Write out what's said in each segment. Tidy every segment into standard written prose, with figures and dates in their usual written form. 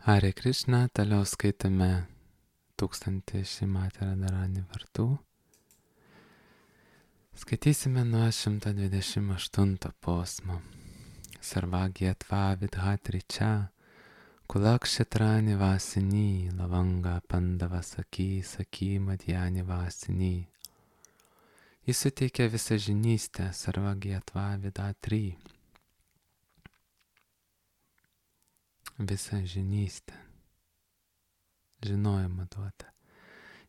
Hare Krishna, toliau skaitame 1000 Šrimati Radharani vardų. Skaitysime nuo 128 posmo. Sarvagyatva vidhatričia, kulakšitrani vasini, lavanga pandava saki, saki madhyani vasini. Jis suteikia visą žinystę, sarvagyatva vidhatri. Visą žinystę. Žinojimą duoda.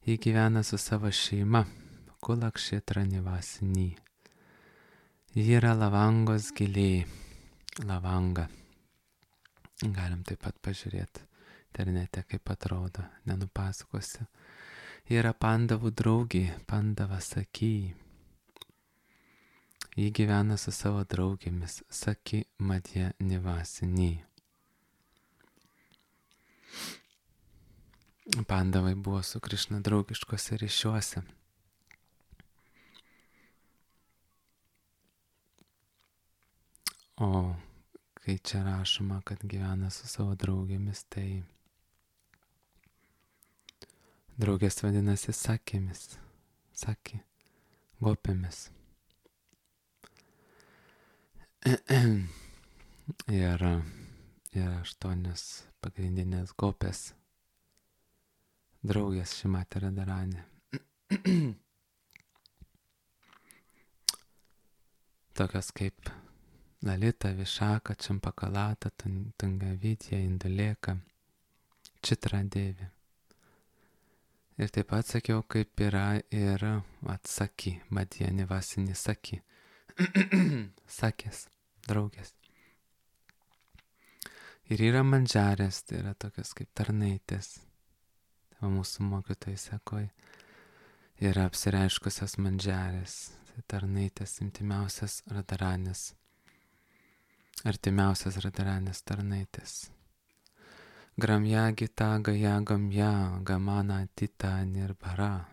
Jį gyvena su savo šeima, kulakšitrani vasini. Ji yra lavangos giliai. Lavanga. Galim taip pat pažiūrėti internete, kaip atrodo, nenupasakosiu. Ji yra pandavų draugė, pandava saki. Ji gyvena su savo draugėmis, saki madhya nivasini. Pandavai buvo su Krišna draugiškose ryšiuose. O kai čia rašoma, kad gyvena su savo draugėmis, tai draugės vadinasi sakėmis, saki, gopėmis. Ir 8 pagrindinės gopės draugės Šrimati Radharani. Tokios kaip Lalita, Višaka, Čampakalata, Tungavidya, Induleka, Čitra Devi. Ir taip pat sakiau, kaip yra ir atsaki, madhya nivasini saki. Sakės, draugės. Ir yra mandžarės, tai yra tokios kaip tarnaitės. Tai mūsų mokytojai sako, yra apsireiškusios mandžarės, tai tarnaitės, intimiausias Radharanės. Artimiausias Radharanės tarnaitės. Gramya gita gaya gamya gamana tita nirbhara.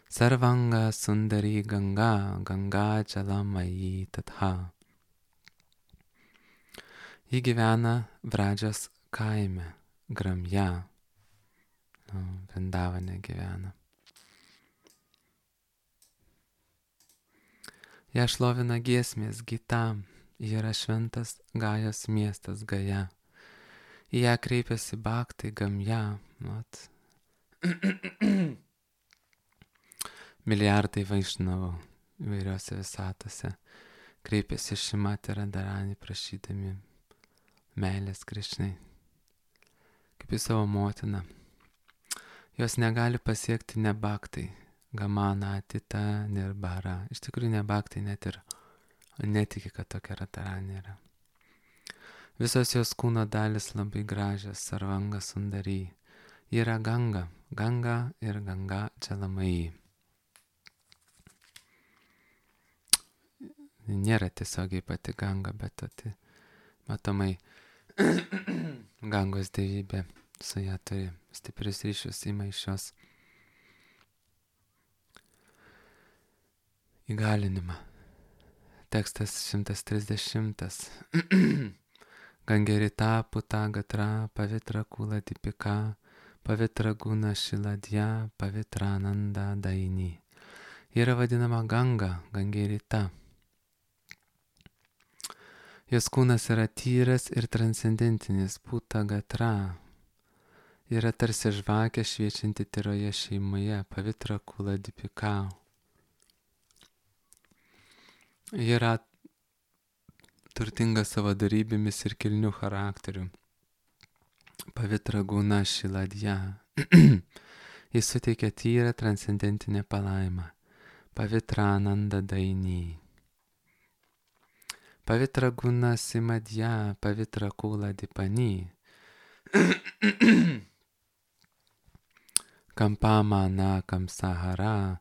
Sarvanga sundari ganga ganga jalamayi tatha. Ji gyvena Vradžios kaime, Gramya. Vrindavane gyvena. Ją šlovina giesmės Gita. Ji yra šventas Gajos miestas Gaja. Į ją kreipiasi bhaktai Gamya. Milijardai vaišnavų įvairiose visatose kreipiasi Šrimati Radharani prašydami meilės Krišnai, kaip į savo motiną. Jos negali pasiekti ne bhaktai, gamana, tita, nirbhara. Iš tikrųjų ne bhaktai net ir netiki, kad tokia Radharani yra. Visos jos kūno dalis labai gražios, sarvanga sundari. Ji yra ganga, ganga ir ganga jalamayi. Nėra tiesiogiai pati ganga, bet matomai gangos dievybė su ją turi stiprius ryšius, ima iš jos įgalinimą. Tekstas 130. Gangerita puta gatra pavitra kula dipika pavitra guna šiladya pavitra nanda daini. Yra vadinama ganga, gangerita. Jos kūnas yra tyras ir transcendentinis, puta gatra. Yra tarsi žvakė šviečianti tyroje šeimoje, pavitra kula dipika. Yra turtinga savo darybėmis ir kilnių charakterių. Pavitra guna šiladya. Jis suteikia tyrą transcendentinę palaimą. Pavitra nanda daini. Pavitra guna simadya, pavitra kula dipani. Kampama na kamsahara,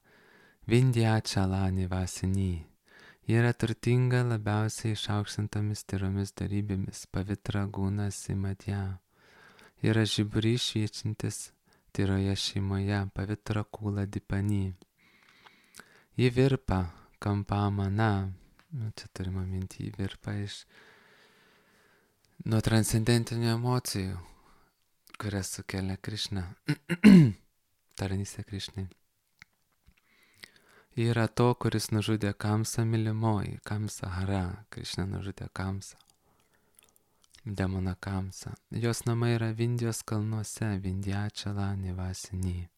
vindhyachala nivasini. Ji yra turtinga labiausiai išaukštintomis tyromis darybėmis, pavitra guna simadya. Ji yra žiburys šviečiantis tyroje šeimoje, pavitra kula dipani. Ji virpa, kampama na. Čia turime minti virpa iš nuo transcendentinių emocijų, kurias sukelia Krišna, tarnystė Krišnai. Yra to, kuris nužudė Kamsą mylimoji, Kamsa Hara, Krišna nužudė Kamsą, demoną Kamsą. Jos namai yra Vindijos kalnuose, Vindhyačala Nivasini.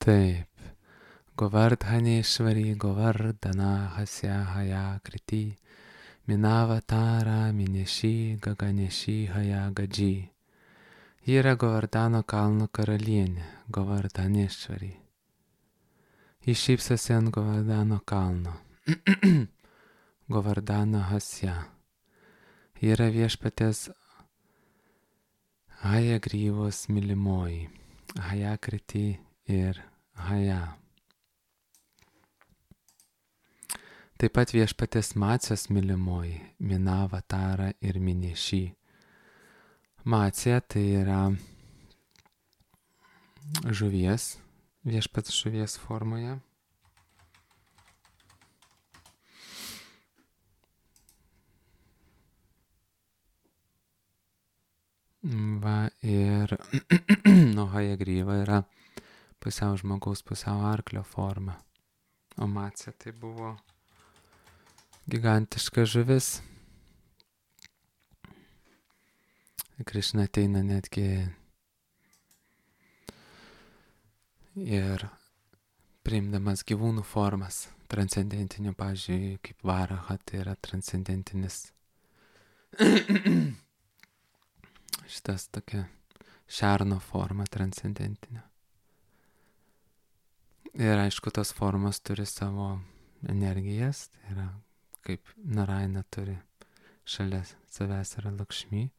Taip. Govardhaneshvari Govardhana Hasya Haya Kriti Minavatara Mineshi Gaganeshi Haya Gaji. Ji yra Govardhano kalno karalienė, Govardhaneshvari. Ji šypsosi ant Govardhano kalno, Govardhano Hasya. Ji yra viešpatės Haya Gryvos mylimoji, Haya Kriti ir Haya. Taip pat viešpatės Macijos mylimoji, Minavatara ir Mineši. Macija tai yra žuvies, viešpats žuvies formoje. Va ir Haya Gryva yra pusiau žmogaus, pusiau arklio forma. O Macija tai buvo gigantiška žuvis. Krišna ateina netgi ir priimdamas gyvūnų formas, transcendentinių, pavyzdžiui, kaip Varaha, tai yra transcendentinis šitas tokia šerno forma transcendentinė. Ir aišku, tos formos turi savo energijas, tai yra kaip Narayana turi šalia savęs yra Lakšmi,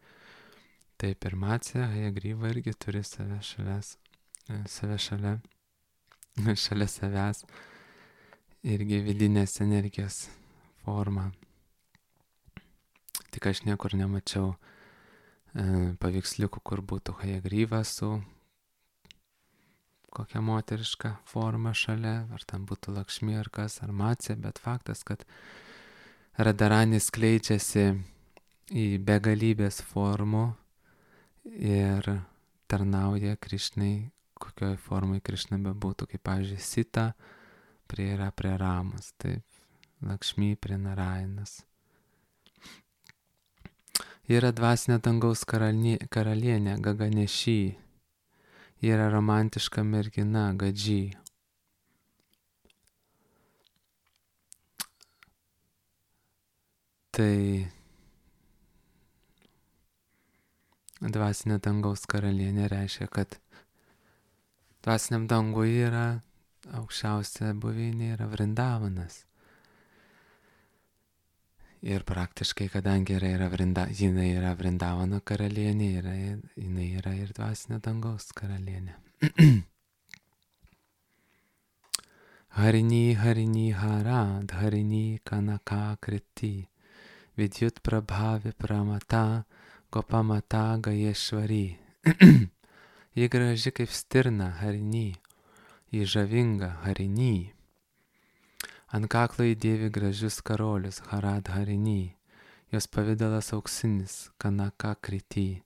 taip ir Macija, Haya Gryva irgi turi save šalia savęs irgi vidinės energijos formą. Tik aš niekur nemačiau paveiksliukų, kur būtų Haya Gryva su kokia moteriška forma šalia, ar tam būtų Lakšmi ar kas, ar Macija, bet faktas, kad Radharani skleidžiasi į begalybės formų ir tarnauja Krišnai, kokioj formai Krišna bebūtų, kaip pavyzdžiui Sita yra prie Ramos, taip Lakšmi prie Narayanas. Yra dvasinė dangaus karalienė Gaganeshi, yra romantiška mergina Gadži. Tai dvasinė dangaus karalienė reiškia, kad dvasiniam dangui yra aukščiausia buveinė yra Vrindavanas. Ir praktiškai, kadangi jinai yra Vrindavano karalienė, jinai yra ir dvasinė dangaus karalienė. Harini Harini Hara Harini Kanaka Kriti Vidyut Prabhavi Pramata Gopamata Gayeshvari. Ji graži kaip stirna Harini, ji žavinga Harini. Ant kaklo įdėvi gražius karolius Harad Harini, jos pavidalas auksinis Kanaka Kriti,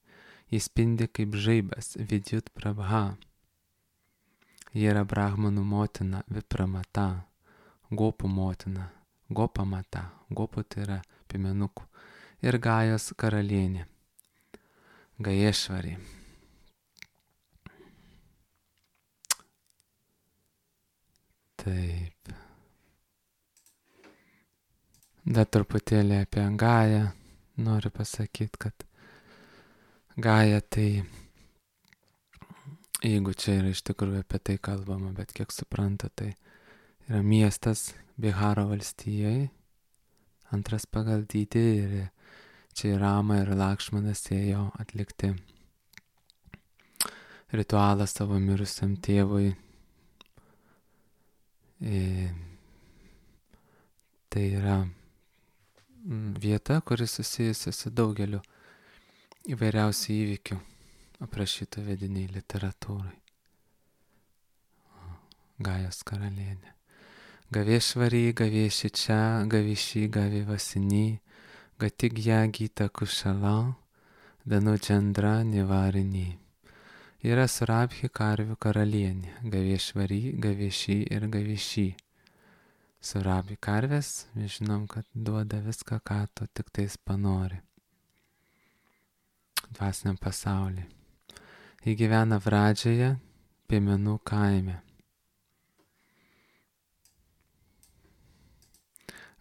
jis spindi kaip žaibas Vidyut Prabha. Ji yra Brahmanų motina Vipramata, Gopų motina, Gopamata, Gopų tai yra piemenukų, ir Gajos karalienė, Gayeshvari. Taip. Dar truputėlį apie Gają noriu pasakyti, kad Gaja tai, jeigu čia yra iš tikrųjų apie tai kalbama, bet kiek supranta, tai yra miestas Biharo valstijai, antras pagal dydį, ir čia Rama ir Lakšmanas ėjo atlikti ritualą savo mirusiam tėvui. Tai yra vieta, kuris susijusi su daugeliu įvairiausių įvykių aprašytų vediniai literatūrai. Gajos karalienė. Gaveshvari, Gaveshicha, Gavishi, Gavivasini, Gatigya Gita Kushala, Danujandra Nivarini. Yra Surabhi karvių karalienė, Gavešvari, Gaveši ir Gaviši. Surabhi karvės, mes žinom, kad duoda viską, ką tu tik tais panori. Dvasiniam pasauliui. Ji gyvena Vradžioje, Piemenų kaime.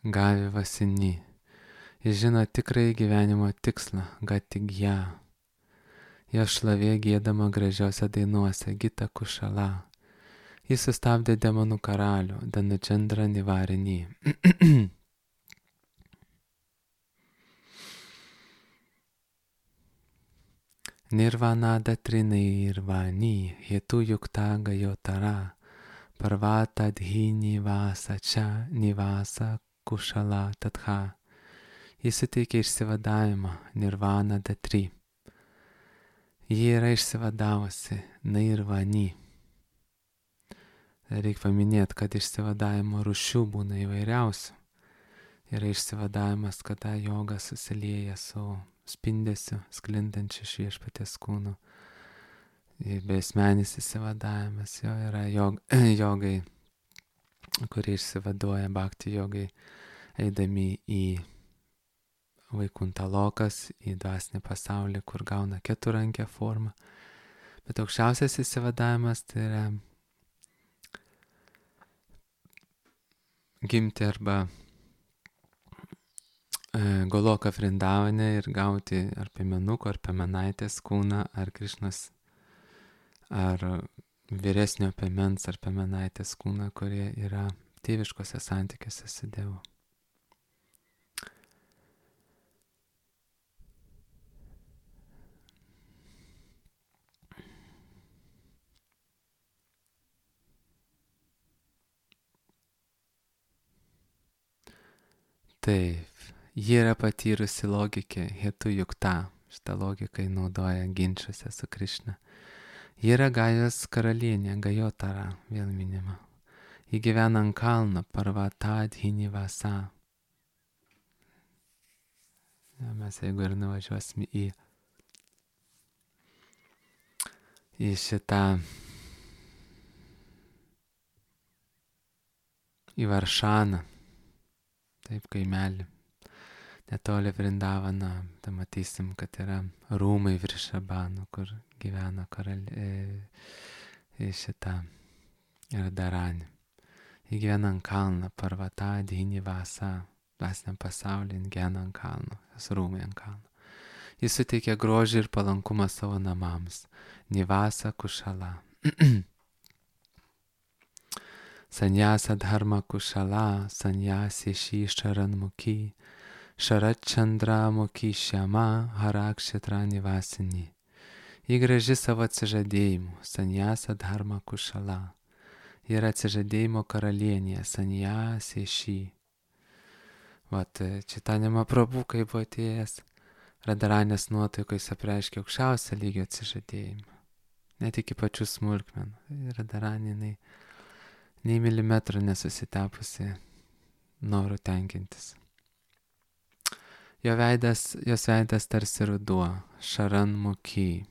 Gavivasini. Jis žino tikrąjį gyvenimo tikslą, Gatigya. Jo šlavė giedama gražiose dainuose, Gita Kushala. Jis sustabdė demonų karalių, Danujandra Nivarini. Nirvana Datrinirvani, Hetu Yukta Gayotara, Parvata Dhi Nivasa Cha Nivasa Kushala Tatha. Jis suteikė išsivadavimą, Nirvana Datri. Ji yra išsivadavusi, Nirvani. Reikia paminėti, kad išsivadavimo rūšių būna įvairiausių. Yra išsivadavimas, kada joga susilieja su spindesiu, sklindančiu iš Viešpaties kūno. Besmenis išsivadavimas, jo yra jogai, kurie išsivaduoja bhakti jogai, eidami į Vaikuntalokas, į dvasinį pasaulį, kur gauna keturankę formą. Bet aukščiausias išsivadavimas tai yra gimti arba Goloka Vrindavane ir gauti ar piemenuko, ar piemenaitės kūną, ar Krišnos, ar vyresnio piemens, ar piemenaitės kūną, kurie yra tėviškose santykiuose su Dievu. Taip, ji yra patyrusi logikė, Hetu Yukta, šitą logiką naudoja ginčiuose su Krišna. Ji yra Gajos karalienė, Gayotara, vėl minima. Ji gyvena ant kalno, Parvata Dhi Nivasa. Mes jeigu ir nuvažiuosime į šitą, į Varšaną, taip kaimelį, netoli Vrindavano, tai matysim, kad yra rūmai Vrišabano, kur gyvena šitą Radharani. Ji gyvena ant kalno, Parvata Dhi Nivasa, dvasiniam pasaulyje gyvena ant kalno, jos rūmai ant kalno. Jis suteikia grožį ir palankumą savo namams, Nivasa Kushala. Sanyasa Dharma Kushala, Sanyasi Shi Sharanmukhi, Sharat Chandra Mukhi Shama, Harakshitra Nivasini. Ji graži savo atsižadėjimu, Sanyasa Dharma Kushala. Ji yra atsižadėjimo karalienė, Sanyasi Shi. Vat Čitanja Mahaprabhu, kai buvo atėjęs, Radharanės nuotaikoj apreiškė aukščiausią lygio atsižadėjimą. Net iki pačių smulkmenų. Radharanė nei milimetrų nesusitepusi norų tenkintis. Jos veidas tarsi ruduo, Sharanmukhi.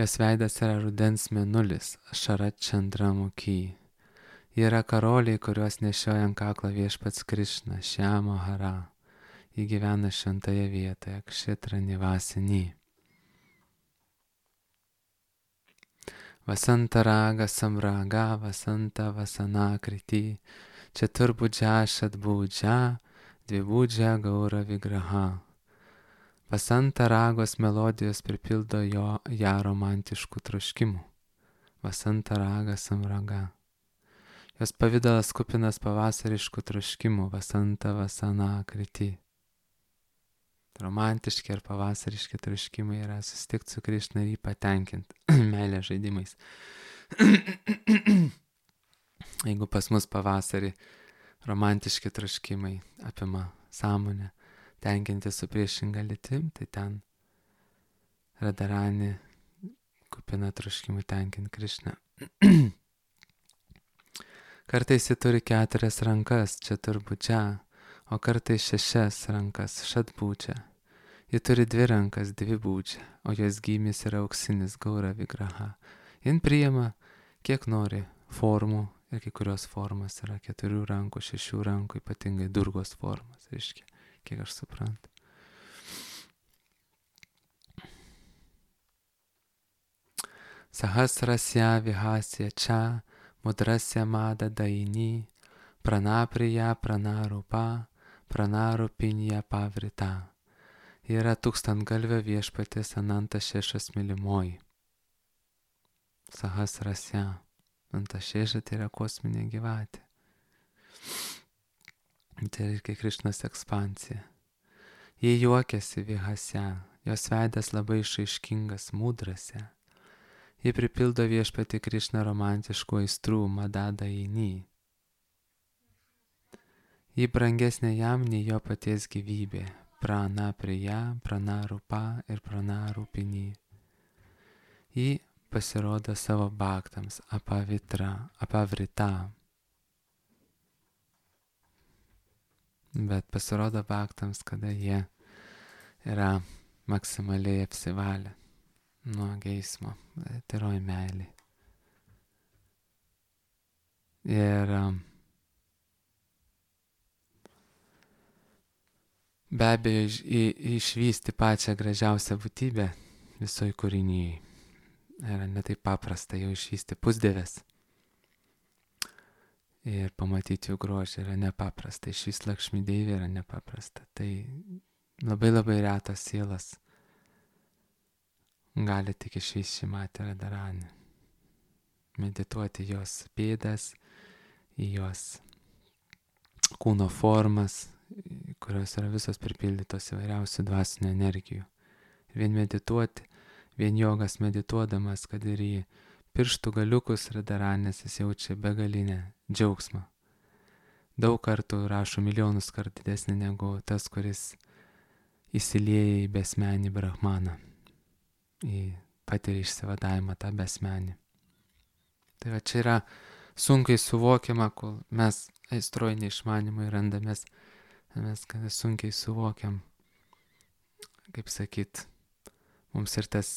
Jos veidas yra rudens mėnulis, Sharat Chandramukhi. Ji yra karoliai, kuriuos nešioja ant kaklo Viešpats Krišna, Šiamo Hara. Ji gyvena šventoje vietoje, Kshitra Nivasini. Vasanta Raga Samraga, Vasanta Vasana Kriti, Četurbudžia Šatbudžia, Dvibudžia Gaura Vigraha. Vasanta Ragos melodijos pripildo ją romantiškų troškimų. Vasanta Raga Samraga. Jos pavidalas kupinas pavasariškų troškimų, Vasanta Vasana Kriti. Romantiški ir pavasariški troškimai yra susitikti su Krišna ir jį patenkinti meilės žaidimais. Jeigu pas mus pavasarį romantiški troškimai apima sąmonę, tenkinti su priešinga lytim, tai ten Radharani kupina troškimų tenkinti Krišną. Kartais jis turi 4 rankas, čia turbūt čia, o kartais 6 rankas, šatbūčia. Ji turi 2 rankas, 2 būdžia, o jos gymis yra auksinis gaura vigraha. Jin priima, kiek nori formų ir kai kurios formos yra 4 rankų, 6 rankų, ypatingai durgos formos, reiškia, kiek aš suprantu. Sahasrasya vihasya cha mudrasya mada daini pranapriya pranarupa pranarupinya pavrita. Yra tūkstantgalvio viešpaties Ananta Šešas mylimoji. Sahasrasya. Ananta Šeša tai yra kosminė gyvatė. Tai reikia Krišnos ekspansija. Jie juokiasi vihasya. Jos veidas labai išraiškingas mudrasya. Jie pripildo viešpatį Krišną romantiškų aistrų madada eini. Ji brangesnė jam nei jo paties gyvybė. Prana priya, prana rupa ir prana rupini. Ji pasirodo savo baktams apavrita. Bet pasirodo baktams, kada jie yra maksimaliai apsivalę nuo geismo, tyroj meilė. Ir be abejo išvysti pačią gražiausią būtybę visoj kūrinyje. Yra netaip paprasta jau išvysti pusdieves. Ir pamatyti jų grožį yra nepaprasta. Išvysti Lakšmi Deivį yra nepaprasta. Tai labai retas sielas gali tik išvysti Šrimatį Radharanį. Medituoti jos pėdas, į jos kūno formas, kurios yra visos pripildytos įvairiausių dvasinių energijų. Ir vien medituoti, vien jogas medituodamas, kad ir į pirštų galiukus Radharanės jis jaučia begalinę džiaugsmą. Daug kartų rašo milijonus kartų didesnį negu tas, kuris įsilieja į besmenį Brahmaną. Į patiria išsivadavimą tą besmenį. Tai va čia yra sunkiai suvokiama, kol mes aistroj neišmanimai randamės, mes kada sunkiai suvokiam, kaip sakyt, mums ir tas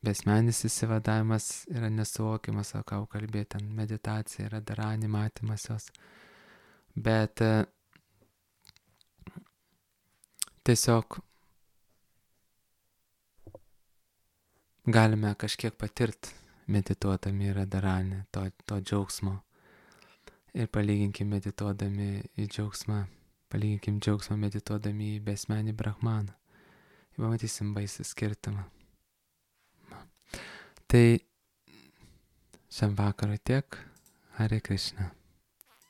besmenis įsivadavimas yra nesuvokiamas, o ką kalbėti, ten meditacija yra Radharani, matymas jos. Bet tiesiog galime kažkiek patirti medituodami Radharanį to džiaugsmo. Ir palyginkim medituodami į džiaugsmą, palyginkim džiaugsmą medituodami į besmenį Brahmaną. Ir pamatysim baisų skirtumą. Tai šiam vakarui tiek. Hare Krishna.